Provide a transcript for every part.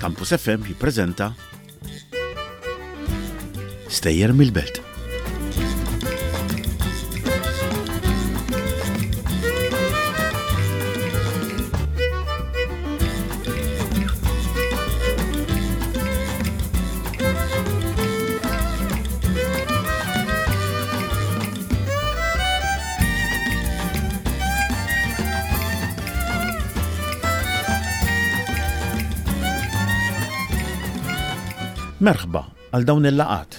Campus FM jippreżenta Stejjer mill-Belt. Merħba għal dawn il-laqgħat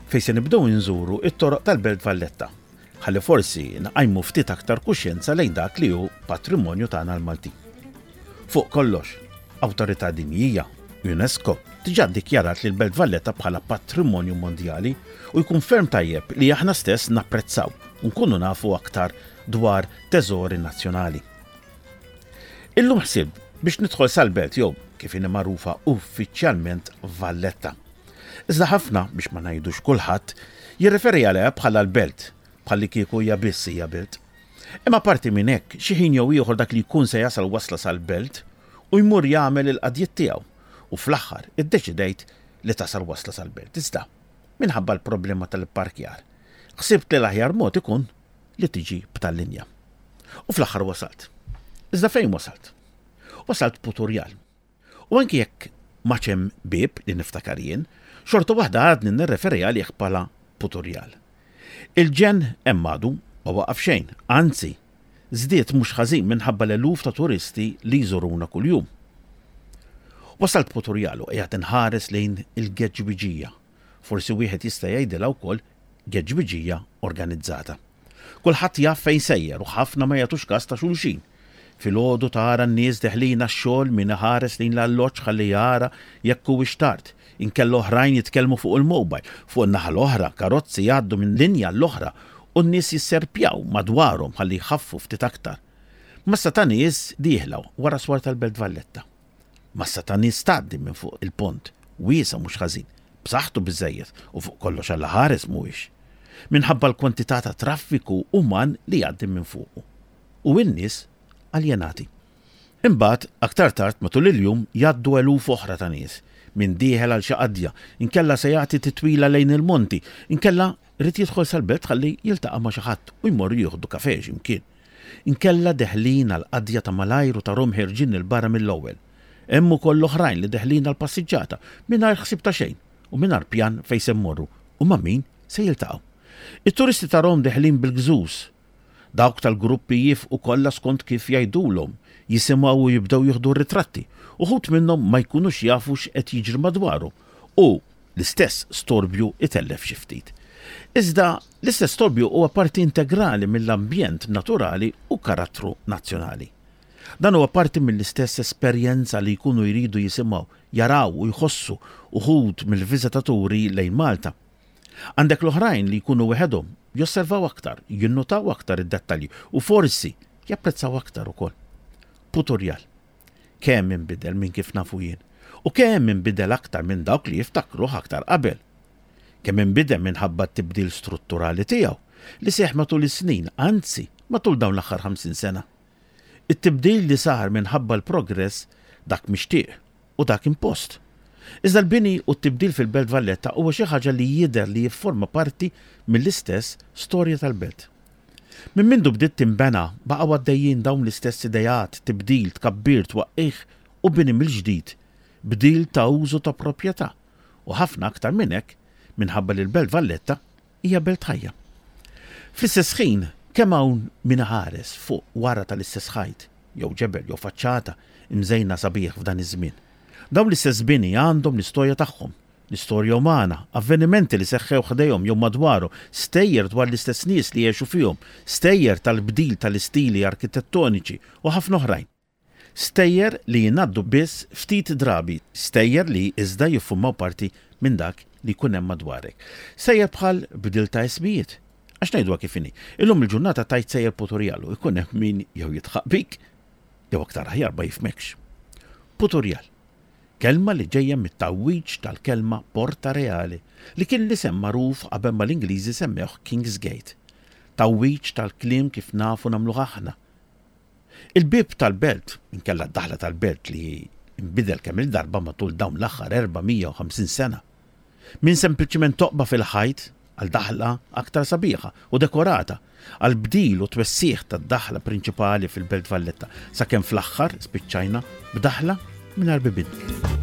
fejn se nibdew inżuru it-toroq tal-Belt Valletta ħalli forsi nqajmu ftit aktar kuxjenza lejn dak li hu patrimonju tagħna l-Maltin. Fuq kollox, awtorità dinjija, UNESCO, diġà ddikjarat lil Belt Valletta bħala Patrimonju Mondjali u jkun ferm tajjeb li aħna stess napprezzaw u nkunu nafu aktar dwar teżori nazzjonali. Illum ħsibt biex nidħol sal-belt jew, kif inhi magħrufa uffiċjalment, Valletta. Iżda ħafna, biex ma ngħidux kulħadd, jirreferi għaliha bħala l-belt, bħallikieku hija biss hija belt. Imma apparti minn hekk, xi ħin jew ieħor dak li jkun se jasal wasla sal-belt u jmur jagħmel il-qadjiet tiegħu u fl-aħħar iddeċidejt li tasal wasla sal-belt. Iżda, minħabba l-problema tal-ipparkjar, ħsibt li l-aħjar mod ikun li tiġi b'tal-linja. U fl-aħħar wasalt. Iżda fejn wasalt? Wasalt Puturjal. U anki jekk m'għadx hemm bieb li niftakar jien, xorta waħda għadni nirreferi għalih bħala Puturjal. Il-ġenn hemm għadu, ma waqaf xejn, anzi, żdied mhux ħażin minħabba l-eluf ta' turisti li jżuruna kuljum. Wasalt Puturjal u qiegħed inħares lejn il-geġwiġija, forsi wieħed jista' jgħidilha wkoll geġwiġija organizzata. Kulħadd jaf fejn sejjer u ħafna ma jagħtux kas ta' xulxin. Filgħodu tara n-nies deħlin għax-xogħol min iħares lejn l-alloġġ ħalli jara jekk huwiex tard, inkella oħrajn jitkellmu fuq il-mobile. Fuq in-naħa l-oħra, karozzi jgħaddu minn linja għall-oħra u n-nies jisserpjaw madwarhom ħalli jħaffu ftit aktar. Massa ta' nies dieħla wara swar tal-Belt Valletta. Massa ta' nies tgħaddi minn fuq il-pont, wiesa' mhux ħażin, b'saħħtu biżżejjed u fuq kollox Alla ħares mhuwiex. Minħabba l-kwantità ta' traffiku uman li jgħaddi minn fuqu. U in-nies aljenati. Imbagħad, aktar tard matul il-jum jgħaddu eluf oħra ta' nies, min dieħel għal xi qadja, inkella se jagħti titwila lejn il-monti, inkella ried jidħol sal-belt ħalli jiltaqa' ma' xi ħadd u jmorru jieħdu kafè xi mkien. Inkella deħlin għal qadja ta' malajr u tarhom ħerġin 'il barra mill-ewwel. Hemm ukoll oħrajn li deħlin għal passiġġata, mingħajr ħsieb ta' xejn u mingħajr pjan fejn se mmorru u ma' min se jiltaqgħu. It-turisti tarhom deħlin bil-gżuż. Dawk tal-gruppi jiefqu kollha skont kif jgħidulhom, jisimgħu u jibdew jieħdu r-ritratti. Uħud minnhom ma jkunux jafu x'qed jiġri madwarhom u l-istess storbju itellef xi ftit. Iżda l-istess storbju huwa parti integrali mill-ambjent naturali u karattru nazzjonali. Dan huwa parti mill-istess esperjenza li jkunu jridu jisimgħu, jaraw u jħossu uħud mill-viżitaturi lejn Malta. Għandek l-oħrajn li jkunu weħedhom, josservaw aktar, jinnutaw aktar id-dettalji u forsi japprezzaw aktar ukoll. Puturjal. Kemm inbidel minn kif nafu jien u kemm inbidel aktar minn dawk li jiftakruh aktar qabel. Kemm inbidel minħabba t-tibdil strutturali tiegħu li seħħ matul is-snin, anzi, matul dawn l-aħħar 50 sena. It-tibdil li sar minħabba l-progress dak mixtieq u dak impost. Iżda l-bini u t-tibdil fil-Belt Valletta huwa xi ħaġa li jidher li jifforma parti mill-istess storja tal-belt. Minn mindu bdiet tinbena baqgħu għaddejjin dawn l-istess ideat, tibdil, tkabbir, twaqqigħ u bini mill-ġdid, bdil ta' użu ta' proprjetà u ħafna aktar minn hekk minħabba li l-Belt Valletta hija belt ħajja. Fl-istess ħin, kemm hawn min iħares fuq wara tal-istess ħajt, jew ġebel jew faċċata mżejna sabiħ f'dan iż-żmien. Dawn l-istess bini għandhom l-istorja tagħhom, l-istorja umana, avvenimenti li seħħew ħdejhom jew madwarhom, stejjer dwar l-istess nies li għexu fihom, stejjer tal-bdil tal-istili arkitettoniċi u ħafna oħrajn. Stejjer li jingħaddu biss ftit drabi, stejjer li iżda jiffurmaw parti minn dak li jkun hemm madwarek. Stejjer bħal bdil ta' ismijiet. Għax ngħiduha kif inhi, illum il-ġurnata tgħid sejjer Puturjal u jkun hemm min jew jidħaq bik jew aktar aħjar ma jifhmekx. Puturjal. Kelma li ġejja mit-tgħawwiġ tal-kelma Porta Reale, li kien l-isem magħruf qabel ma l-Ingliżi semmewh King's Gate. Tgħawwiġ tal-kliem kif nafu nagħmluh aħna. Il-bieb tal-belt, inkella d-daħla tal-belt li Inbidel kemm-il darba matul dawn l-aħħar 450 sena. Minn sempliċiment toqba fil-ħajt għal daħla aktar sabiħa u dekorata, għal bdil u twessigħ tad-daħla prinċipali fil-Belt Valletta, sakemm fl-aħħar spiċċajna b'daħla mingħajr bibien.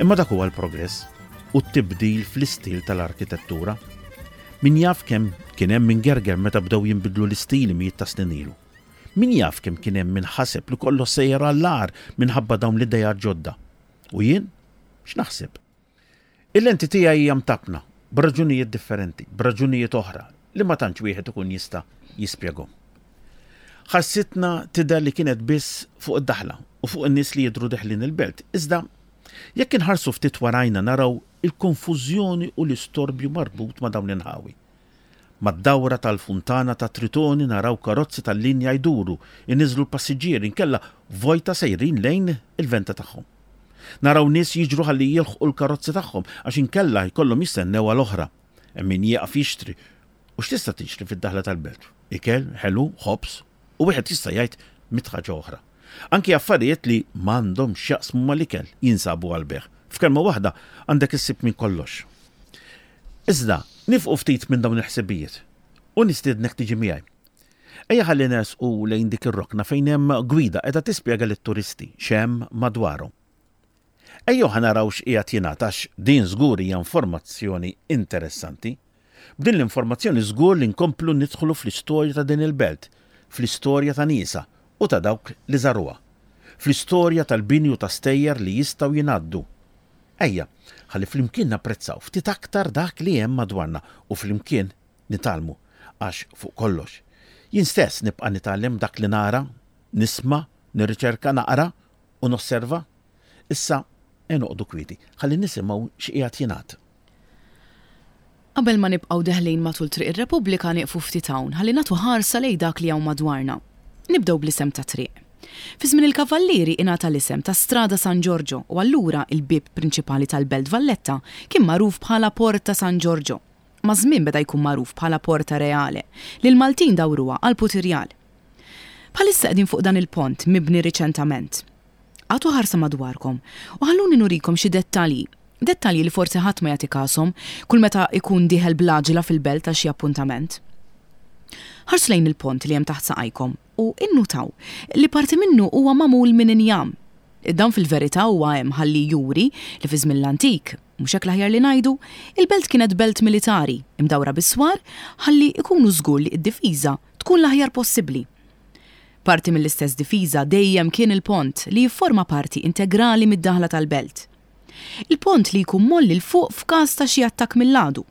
Imma dak huwa l-progress u t-tibdil fl-istil tal-arkitettura. Min jaf kemm kien hemm min gerger meta bdew jinbidlu l-istili mijiet ta' snin ilu. Min jaf kemm kien hemm min ħaseb li kollox sejjer għall-agħar minħabba dawn l-ideat ġodda. U jien? X'naħseb? Il-lenti tiegħi hija mtappna b'raġunijiet differenti, b'raġunijiet oħra li ma tantx wieħed ikun jista' jispjegahom. Ħarsitna tidher li kienet biss fuq id-daħla u fuq in-nies li jidhru deħlin il-belt, iżda jekk inħarsu ftit warajna naraw il-konfużjoni u l-istorbju marbut ma' dawn l-inħawi. Mad-dawra tal-funtana ta' Tritoni naraw karozzi tal-linja jduru, iniżżlu l-passiġġieri inkella vojta sejrin lejn il-venta tagħhom. Naraw nies jiġru ħalli jilħqu l-karozzi tagħhom għax inkella jkollhom jistennew għal oħra. Hemm min jieqaf jixtri. U x'tista' tixtri fid-daħla tal-belt? Ikel, ħelu, ħobż u wieħed jista' jgħid mitt ħaġa oħra. Anki affarijiet li m'għandhomx x'jaqsmu mal-ikel jinsabu għall-bejgħ. F'kelma waħda, għandek issib minn kollox. Iżda, nifqu ftit minn dawn il-ħsibijiet u nistiednek tiġi miegħi. Ejja ħalli nersqu lejn dik ir-rokna fejn hemm gwida qiegħda tispjega lit-turisti x'hemm madwarhom. Ejjew ħa naraw x'qiegħed jingħad għax din żgur hija informazzjoni interessanti. B'din l-informazzjoni żgur li nkomplu nidħlu fl-istorja ta' din il-belt, fl-istorja ta' niesha u ta' dawk li żaruha, fl-istorja tal-bini u ta' stejjer li jistgħu jingħaddu. Ejja, ħalli flimkien napprezzaw ftit aktar dak li hemm madwarna u flimkien nitgħallmu, għax fuq kollox, jien stess nibqa' nitgħallem dak li nara, nisma', nirriċerka, naqra u nosserva. Issa, ejja noqogħdu kwieti, ħalli nisimgħu x'qiegħed jingħad. Qabel ma nibqgħu deħlin matul Triq ir-Repubblika nieqfu ftit hawn ħalli nagħtu ħarsa lejn dak li hawn madwarna. Nibdew bl-isem tat-triq. Fi żmien il-Kavallieri ingħata l-isem ta' Strada San Giorgio u allura il-bieb prinċipali tal-Belt Valletta kien magħruf bħala Porta San Giorgio. Maż-żmien beda jkun magħruf bħala Porta Reale li l-Maltin dawruha għal Putirjal. Bħalissa qegħdin fuq dan il-pont mibni riċentament. Agħtu ħarsa madwarkom u ħalluni nurikom xi dettalji. Dettalji li forsi ħadd ma jagħti kashom kull meta jkun dieħel bl-għaġla fil-belt għal xi appuntament. Ħarsu lejn il-pont li hemm taħt saqajkom u innutaw li parti minnu huwa magħmul minn injam. Dan fil-verità huwa hemm ħalli juri li fi żmien l-antik, mhux hekk l-aħjar li ngħidu, il-belt kienet belt militari, imdawra bis-swar ħalli jkunu żgur li d-difiża tkun l-aħjar possibbli. Parti mill-istess difiża dejjem kien il-pont li jifforma parti integrali mid-daħla tal-belt. Il-pont li jkun mgħolli 'l fuq f'każ ta' xi attakk mill-għadu.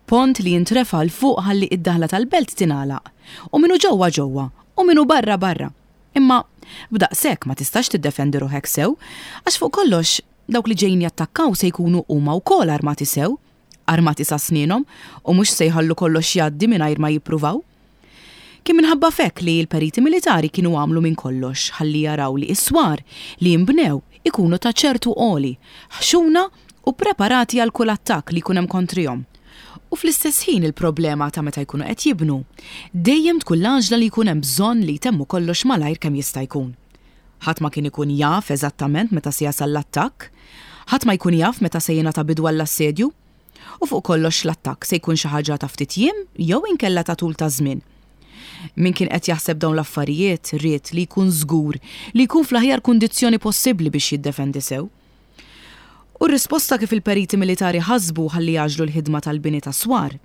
Pont li jintrefa' 'l fuq ħalli id-daħla tal-belt tingħalaq u min hu ġewwa ġewwa u min hu barra barra. Imma b'daqshekk ma tistax tiddefendi ruħek sew għax fuq kollox dawk li ġejjin jattakkaw se jkunu huma wkoll armati sew, armati sa snienhom u mhux se jħallu kollox jgħaddi mingħajr ma jippruvaw. Kien minħabba f'hekk li l-periti militari kienu għamlu minn kollox ħalli jaraw li s-swar li jinbnew ikunu ta' ċertu għoli, ħxuna u ppreparati għal kull attakk li jkun hemm kontrihom. U fl-istess ħin il-problema ta' meta jkunu qed jibnu, dejjem tkun l-għaġla li jkun hemm bżonn li jtemmu kollox malajr kemm jista' jkun. Ħadd ma kien ikun jaf eżattament meta se jasal l-attakk, ħadd ma jkun jaf meta se jingħata bidu għall-assedju. U fuq kollox l-attakk se jkun xi ħaġa ta' ftit jiem jew inkella ta' tul ta' żmien. Min kien qed jaħseb dawn l-affarijiet ried li jkun żgur li jkun fl-aħjar kundizzjoni possibbli biex jiddefendi sew. U r-risposta kif il-periti militari ħasbu ħalli jgħaġġlu l-ħidma tal-bini ta' swar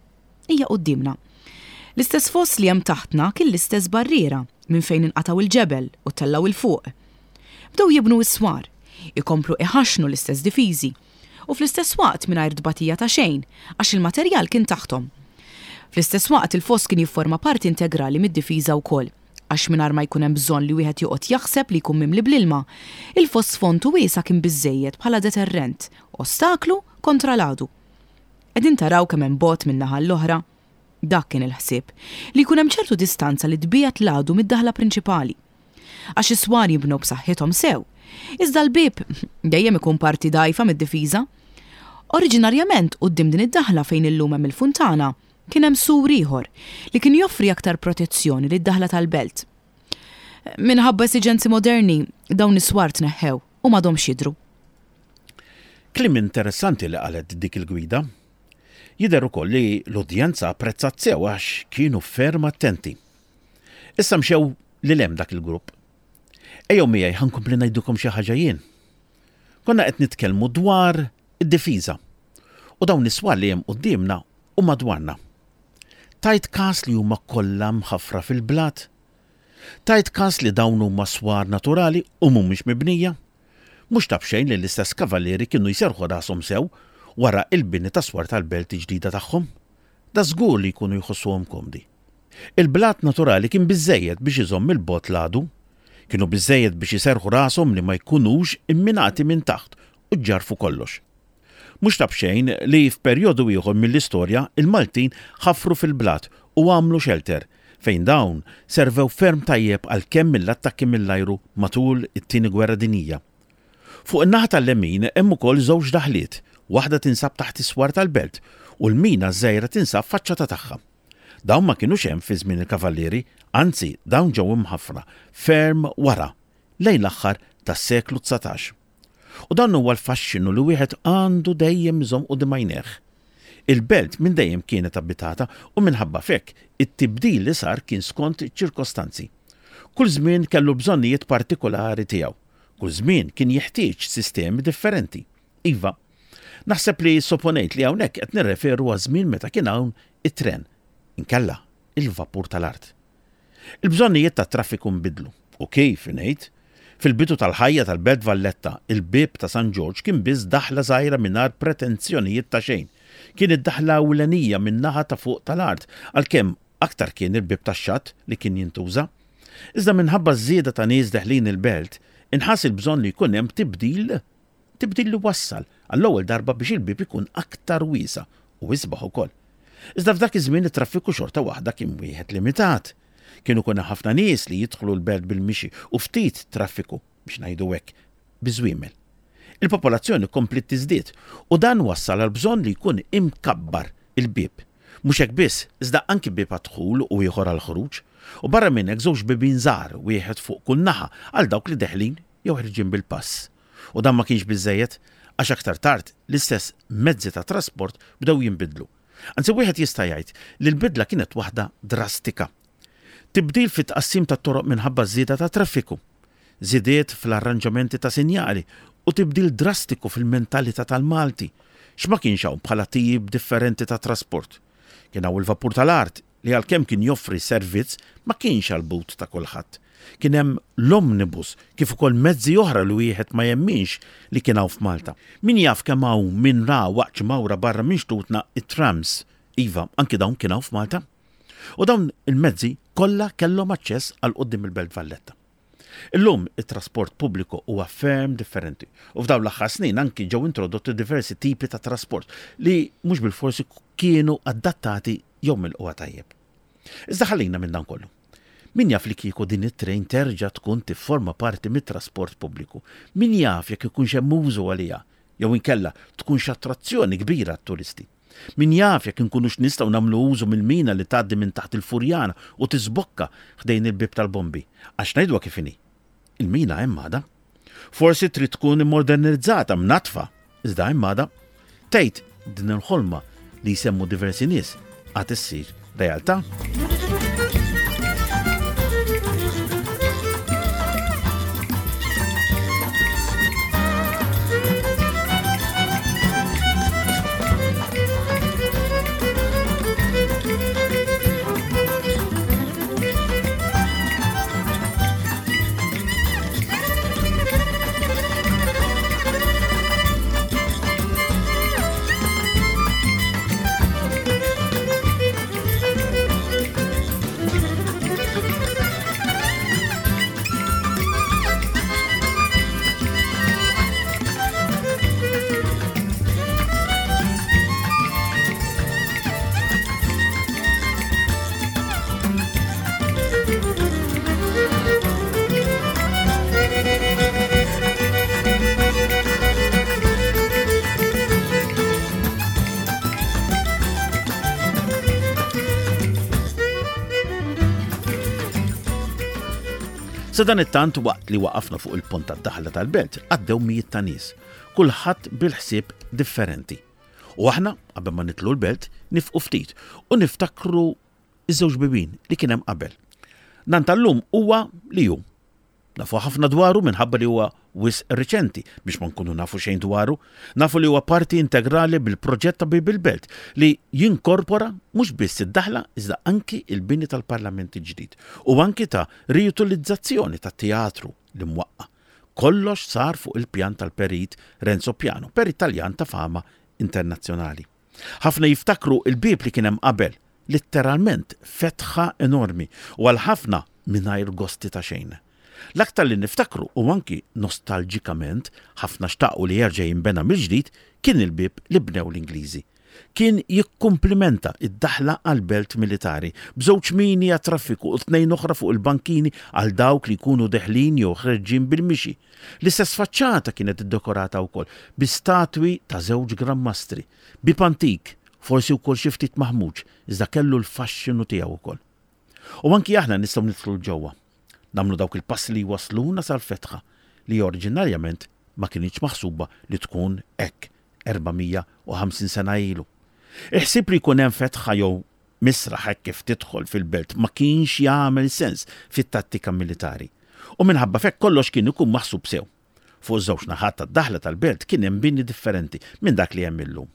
hija quddiemna. L-istess foss li hemm taħtna kien l-istess barriera minn fejn inqatgħu l-ġebel u ttellgħu 'l fuq. Bdew jibnu s-swar, ikomplu iħaxxnu l-istess difiżi u fl-istess waqt mingħajr tbatija ta' xejn għax il-materjal kien taħthom. Fl-istess waqt il-foss kien jifforma parti integrali mid-difiża wkoll għax mingħajr ma jkun hemm bżonn li wieħed joqgħod jaħseb li jkun mimli bl-ilma, il-foss fond u wiesa' kien biżżejjed bħala deterrent, ostaklu kontra l-għadu. Qegħdin taraw kemm hemm bogħod minn naħa għall-oħra? Dak kien il-ħsieb, li jkun hemm ċertu distanza li tbiegħed l-għadu mid-daħla prinċipali. Għax is-swar jinbnew b'saħħithom sew. Iżda l-bieb dejjem ikun parti dgħajfa mid-difiża. Oriġinarjament quddiem din id-daħla fejn illum hemm il-funtana, kien hemm sur ieħor li kien joffri aktar protezzjoni lid-daħla tal-belt. Minħabba esiġenzi moderni, dawn is-swar tneħħew u m'għadhomx jidhru. Kliem interessanti li qalet dik il-gwida. Jidher ukoll li l-udjenza apprezzat sew għax kienu ferm attenti. Issa mxew lil hemm dak il-grupp. Ejjew miegħi ħa nkompli ngħidilkom xi ħaġa jien. Konna qed nitkellmu dwar id-difiża u dawn is-swar li hemm quddiemna u madwarna. Tajt każ li huma kollha mħaffra fil-blat? Tajt każ li dawn huma swar naturali u mhumiex mibnija? Mhux ta' b'xejn li l-istess kavallieri kienu jserrħu rashom sew wara il-bini tas-swar tal-belt ġdida tagħhom. Dażgur li jkunu jħossuhom komdi. Il-blat naturali kien biżżejjed biex iżomm 'il bogħod l-għadu. Kienu biżżejjed biex iserrħu rashom li ma jkunux imminati minn taħt u ġġarrfu kollox. Mhux ta' b'xejn li f'perjodu ieħor mill-istorja il-Maltin ħafru fil-blat u għamlu xelter fejn dawn servew ferm tajjeb għal kemm mill-attakki mill-ajru matul it-Tieni Gwerra Dinjija. Fuq in-naħa tal-lemin hemm ukoll żewġ daħliet, waħda tinsab taħt is-swar tal-belt u l-mina ż-żgħira tinsab faċċata tagħha. Dawn ma kinux hemm fi żmien il-Kavallieri, anzi dawn ġew imħaffra ferm wara, lejn l-aħħar tas-seklu 19. U dan huwa l-faxxinu li wieħed għandu dejjem iżomm quddiem għajnejh. Il-belt minn dejjem kienet abitata u minħabba f'hekk it-tibdil li sar kien skont iċ-ċirkostanzi. Kull żmien kellu l-bżonnijiet partikulari tiegħu. Kull żmien kien jeħtieġ sistemi differenti. Iva, naħseb li ssoponejt li hawnhekk qed nirreferu għaż-żmien meta kien hawn it-tren, inkella il-vapur tal-art. Il-bżonnijiet tat-traffiku nbidlu. U kif, ngħid? Fil-bidu tal-ħajja tal-Belt Valletta, il-Bieb ta' San Ġorġ kien biss daħla żgħira mingħajr pretenzjonijiet ta' xejn. Kien id-daħla ewlenija min-naħa ta' fuq tal-art, għalkemm aktar kien il-Bieb tax-Xatt li kien jintuża. Iżda minħabba ż-żieda ta' nies deħlin il-belt, inħass il-bżonn li jkun hemm tibdil Tibdil li wassal għall-ewwel darba biex il-bieb ikun aktar wiesa' u isbaħ ukoll. Iżda f'dak iż-żmien it-traffiku xorta waħda kien wieħed limitat. Kien ikun hemm ħafna nies li jidħlu l-belt bil-mixi u ftit traffiku, biex ngħidu hekk, biż-żwiemel. Il-popolazzjoni kompliet tiżdied u dan wassal għall-bżonn li jkun imkabbar il-bieb. Mhux hekk biss, iżda anki bieb għad-dħul u ieħor għall-ħruġ. U barra minn hekk żewġ bibien żgħar, wieħed fuq kull naħa, għal dawk li deħlin jew ħerġin bil-pass. U dan ma kienx biżżejjed, għax aktar tard l-istess mezzi ta' trasport bdew jinbidlu. Anzi wieħed jista' jgħid li l-bidla kienet waħda drastika. Tibdil fit-tqassim tat-toroq minħabba ż-żieda tat-traffiku, żidiet fl-arranġamenti ta' sinjali u tibdil drastiku fil-mentalità tal-Malti. X'ma kienx hawn bħala tip differenti ta' trasport? Kien hawn il-vapur tal-art li għalkemm kien joffri servizz ma kienx għall-but ta' kulħadd. Kien hemm l-omnibus kif ukoll mezzi oħra li wieħed ma jemminx li kien hawn f'Malta. Min jaf kemm hawn min ra waqt xi mawra barra minn xtutna t-trams. Iva, anki dawn kien hawn f'Malta. U dawn il-mezzi kollha kellhom aċċess għal quddiem il-Belt Valletta. Illum it-trasport pubbliku huwa ferm differenti u f'dawn l-aħħar snin anki ġew introdotti diversi tipi ta' trasport li mhux bilfors kienu adattati jew milqugħa tajjeb. Iżda ħallina minn dan kollu. Min jaf li kieku din it-train terġa' tkun tifforma parti mit-trasport pubbliku? Min jaf jekk ikunx hemm użu għaliha jew inkella tkunx attrazzjoni kbira għat-turisti? Min jaf jekk inkunux nistgħu nagħmlu użu mill-mina li tgħaddi minn taħt il-Furjana u tiżbokka ħdejn il-Bieb tal-Bombi? Għax ngħiduha kif inhi, il-mina hemm għadha. Forsi trid tkun immodernizzata, mnaddfa, iżda hemm għadha. Tgħid din il-ħolma li jsemmu diversi nies għad issir realtà? Sadanittant waqt li waqafna fuq il-pont tad-daħla tal-belt għaddew mijiet ta' nies, kulħadd bil-ħsieb differenti. U aħna, qabel ma nidħlu l-belt, nifqu ftit u niftakru iż-żewġ bibien li kien hemm qabel. Dan tal-lum huwa li hu. Nafu ħafna dwaru minħabba li huwa wisq riċenti biex ma nkunu nafu xejn dwaru. Nafu li huwa parti integrali bil-proġett ta' Bieb il-Belt li jinkorpora mhux biss id-daħla iżda anki il-bini tal-Parlament il-ġdid u anki ta' riutilizzazzjoni tat-teatru li mwaqqa'. Kollox sar fuq il-pjan tal-Perit Renzo Piano, perit Taljan ta' fama internazzjonali. Ħafna jiftakru l-bieb li kien hemm qabel, litteralment fetħa enormi u għal ħafna mingħajr gosti ta' xejn. L-aktar li niftakru u anki nostalġikament ħafna xtaqu li jerġa' jinbena mill-ġdid kien il-bieb li bnew l-Ingliżi. Kien jikkumplimenta d-daħla għall-belt militari, b'żewġ mini għat-traffiku u tnejn oħra fuq il-bankini għal dawk li jkunu deħlin jew ħreġġin bil-mixi. L-istess faċċata kienet iddekorata wkoll bi statwi ta' żewġ Gran Mastri. Bieb antik, forsi wkoll xi ftit maħmuġ, iżda kellu l-faxxinu tiegħu wkoll. U anki aħna nistgħu nidħlu 'l ġewwa. Nagħmlu dawk il-passi li jwassluna sal-fetħa li oriġinarjament ma kinitx maħsuba li tkun hekk 450 sena ilu. Il-ħsieb li jkun hemm fetħa jew misraħ hekk kif tidħol fil-belt ma kienx jagħmel sens fit-tattika militari. U minħabba f'hekk kollox kien ikun maħsub sew. Fuq iż-żewġ naħat tad-daħla tal-belt kien hemm bini differenti minn dak li hemm illum.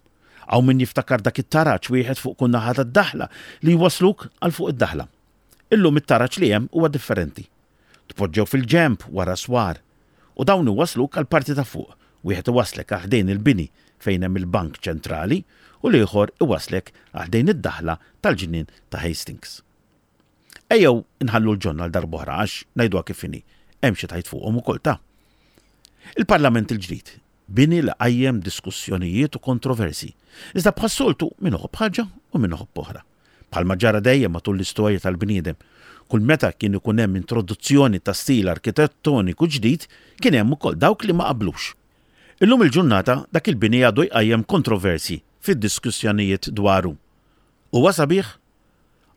Hawn min jiftakar dak it-taraġ wieħed fuq kull naħa tad-daħla li jwassluk għal fuq id-daħla. Illum it-taraġ li hemm huwa differenti. Tpoġġew fil-ġenb wara swar u dawn iwassluk għall-parti ta' fuq, wieħed iwasslek għal ħdejn il-bini fejn hemm il-Bank Ċentrali u l-ieħor iwasslek għal ħdejn id-daħla tal-ġnien ta' Hastings. Ejjew inħallu l-ġonna għal darb'oħra għax, ngħiduha kif inhi, hemm xi tgħid fuqhom ukoll ta'. Il-Parlament il-ġdid, bini li qajjem diskussjonijiet u kontroversji, iżda bħas-soltu min iħobb ħaġa u min iħobb oħra. Bħalma ġara dejjem matul l-istorja tal-bniedem, kull meta kien ikun hemm introduzzjoni ta' stil arkitettoniku ġdid, kien hemm ukoll dawk li ma qablux. Illum il-ġurnata dak il-bini għadu jqajjem kontroversji fid-diskussjonijiet dwaru. Huwa sabiħ?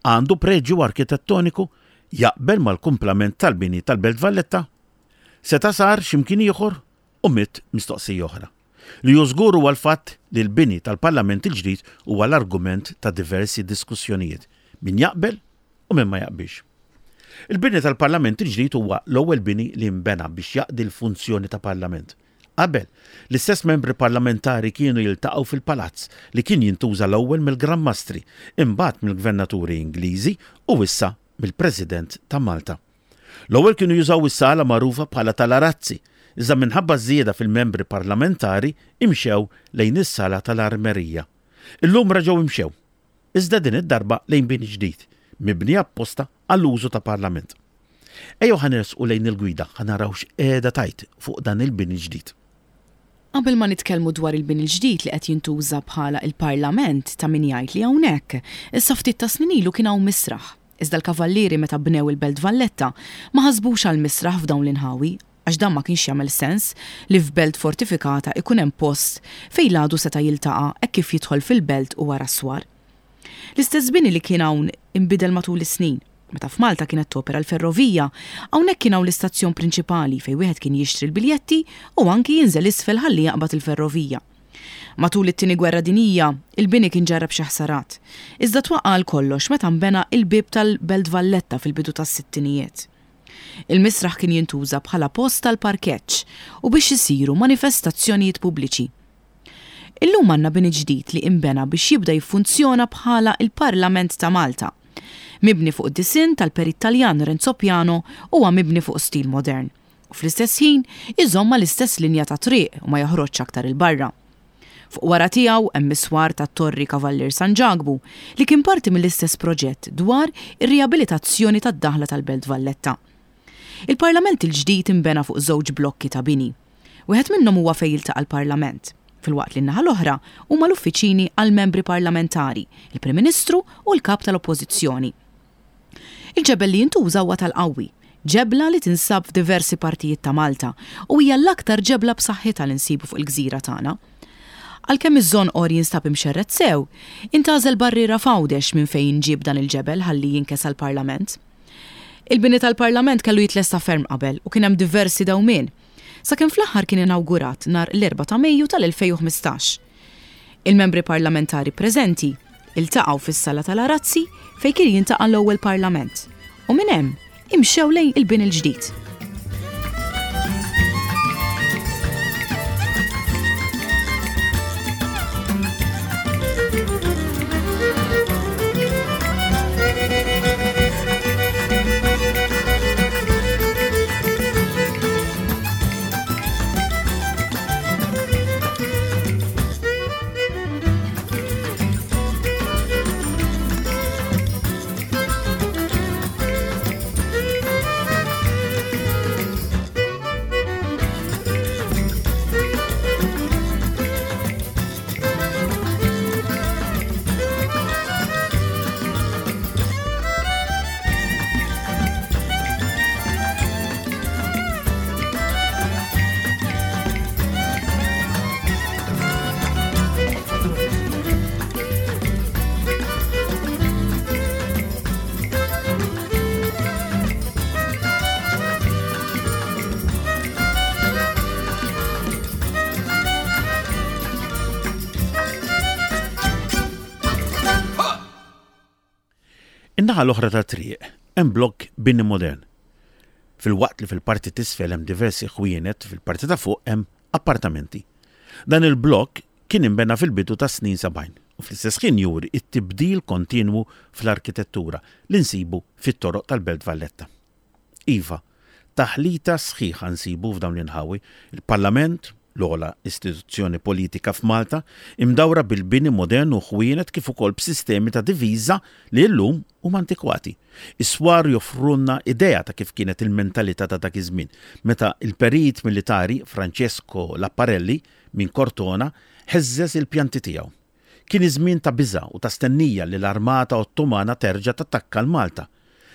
Għandu preġju arkitettoniku? Jaqbel mal-kumplament tal-bini tal-Belt Valletta? Seta' sar xi mkien ieħor? U mitt mistoqsija oħra. Li hu żgur huwa l-fatt li l-bini tal-Parlament il-ġdid huwa l-argument ta' diversi diskussjonijiet, min jaqbel u min ma jaqbilx. Il-bini tal-Parlament il-ġdid huwa l-ewwel bini li nbena biex jaqdi l-funzjoni ta' Parlament. Qabel, l-istess membri parlamentari kienu jiltaqgħu fil-palazz li kien jintuża l-ewwel mill-Gran Mastri, imbagħad mill-Gvernaturi Ingliżi u issa mill-President ta' Malta. L-ewwel kienu jużaw is-sala magħrufa bħala tal-Arazzi, iżda minħabba ż-żieda fil-membri parlamentari imxew lejn is-sala tal-Armerija. Illum reġgħu imxew, iżda din id-darba lejn bini ġdid, mibni apposta għall-użu ta' parlament. Ejjew ħa nersqu lejn il-gwida ħa naraw x'qiegħda tgħid fuq dan il-bini ġdid. Qabel ma nitkellmu dwar il-bini l-ġdid li qed jintuża bħala il-Parlament ta' min jgħid li hawnhekk, issa ftit ta' snin ilu kien hawn misraħ. Iżda l-Kavallieri meta bnew il-Belt Valletta ma ħasbux għal misraħ f'dawn l-inħawi għax dan ma kienx jagħmel sens li f'belt fortifikata ikun hemm post fejn l-għadu seta' jiltaqa' hekk kif jidħol fil-belt u wara s-swar. L-istess bini li kien hawn inbidel matul is-snin. Meta f'Malta kienet topera l-ferrovija, hawnhekk kien hawn l-istazzjon prinċipali fejn wieħed kien jixtri l-biljetti u anki jinżel isfel ħalli jaqbad il-ferrovija. Matul it-Tieni Gwerra Dinjija, il-bini kien ġarrab xi ħsarat, iżda twaqqa' għal kollox meta nbena il-bieb tal-Belt Valletta fil-bidu tas-sittinijiet. Il-misraħ kien jintuża bħala post għall-parkeġġ u biex isiru manifestazzjonijiet pubbliċi. Illum għandna bini ġdid li inbena biex jibda jiffunzjona bħala l-Parlament ta' Malta. Mibni fuq disinn tal-perit Taljan Renzo Piano huwa mibni fuq stil modern. u fl-istess ħin iżomm mal-istess linja ta' triq u ma joħroġx aktar 'il barra. Fuq wara tiegħu hemm is-swar tat-Torri Kavallier San Ġakbu li kien parti mill-istess proġett dwar ir-riabilitazzjoni tad-daħla tal-Belt Valletta. Il-Parlament il-ġdid inbena fuq żewġ blokki ta' bini. Wieħed minnhom huwa fejn jiltaqa' l-Parlament, filwaqt li n-naħa l-oħra huma l-uffiċini għall-membri parlamentari, il-Prim Ministru u l-Kap tal-Oppożizzjoni. Il-ġebel li jintuża huwa tal-qawwi, ġebla li tinsab f'diversi partijiet ta' Malta u hija l-aktar ġebla b'saħħitha li nsibu fuq il-gżira tagħna. Għalkemm iż-żonqor jinstab imxerred sew, intgħażel barriera f'Għawdex minn fejn inġieb dan il-ġebel ħalli jinkesa l-Parlament. Il-bini tal-Parlament kellu jitlesta ferm qabel u kien hemm diversi dewmien, sakemm fl-aħħar kien inawgurat nhar l-Erbgħa ta' Mejju tal-2015. Il-membri parlamentari preżenti iltaqgħu fis-Sala tal-Arazzi fejn kien jiltaqa' l-ewwel Parlament u minn hemm imxew lejn il-bini l-ġdid. In-naħa l-oħra tat-triq hemm blokk bini modern. Filwaqt li fil-parti t'isfel hemm diversi ħwienet, fil-parti ta' fuq hemm appartamenti. Dan il-blokk kien inbena fil-bidu tas-snin 70 u fl-istess ħin juri t-tibdil kontinwu fl-arkitettura li nsibu fit-toroq tal-Belt Valletta. Iva, taħlita sħiħa nsibu f'dawn l-inħawi, il-Parlament, l-ogħla istituzzjoni politika f'Malta, imdawra bil-bini modern u ħwienet kif ukoll b'sistemi ta' diviża li llum huma antikwati. Is-swar joffrulna idea ta' kif kienet il-mentalità ta' dak iż-żmien, meta l-perit militari Francesco Lapparelli minn Cortona heżżeż il-pjanti tiegħu. Kien iż-żmien ta' biża' u ta' stennija li l-armata Ottomana terġa' tattakka 'l Malta.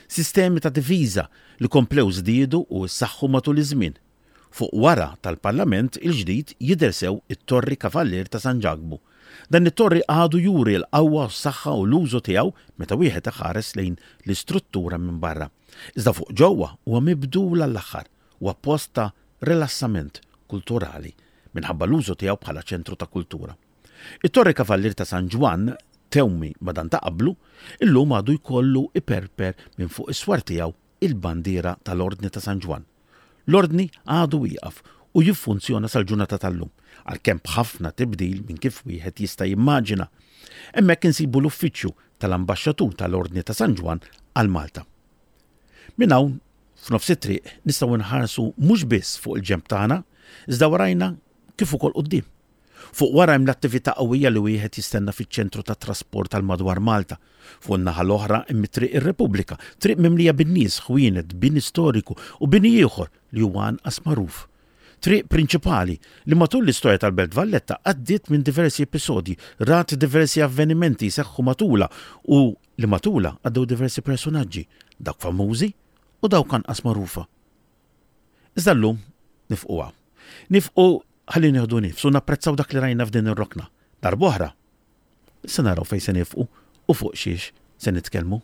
Sistemi ta' difiża li komplew żdiedu u ssaħħu matul iż-żmien. Fuq wara tal-Parlament il-ġdid jidher sew it-Torri Kavallier ta' San Ġakbu. Dan it-torri għadu juri l-qawwa u s-saħħa u l-użu tiegħu meta wieħed iħares lejn l-istruttura minn barra. Iżda fuq ġewwa huwa mibdul għall-aħħar. Huwa post ta' rilassament kulturali minħabba l-użu tiegħu bħala ċentru ta' kultura. It-Torri Kavallier ta' San Ġwann, tewmi ma' dan ta' qablu, illum għadu jkollu iperper minn fuq is-swar tiegħu il-bandiera tal-Ordni ta' San Ġwann. L-Ordni għadu wieqaf u jiffunzjona sal-ġurnata tal-lum, għalkemm b'ħafna tibdil minn kif wieħed jista' jimmaġina. Hemmhekk insibu l-uffiċċju tal-Ambaxxatur tal-Ordni ta' San Ġwann għal Malta. Minn hawn, f'nofs it-triq, nistgħu nħarsu mhux biss fuq il-ġenb tagħna, iżda warajna kif ukoll quddiem. Fuq wara hemm l-attività qawwija li wieħed jistenna fiċ-ċentru tat-trasport għal madwar Malta. Fuq in-naħa l-oħra hemm it-Triq ir-Repubblika, triq mimlija bin-nies, ħwienet, bini storiku u bini ieħor li huwa anqas magħruf. Triq prinċipali li matul l-istorja tal-Belt Valletta għaddiet minn diversi episodji, rat diversi avvenimenti jseħħu matulha u li matulha għaddew diversi persunaġġi, dawk famużi u dawk anqas magħrufa. Iżda llum nifqu hawn. Nifqu ħalli nieħdu nifs u napprezzaw dak li rajna f'din ir-rokna. Darb'oħra, se naraw fejn se nifqu u fuq xiex se nitkellmu.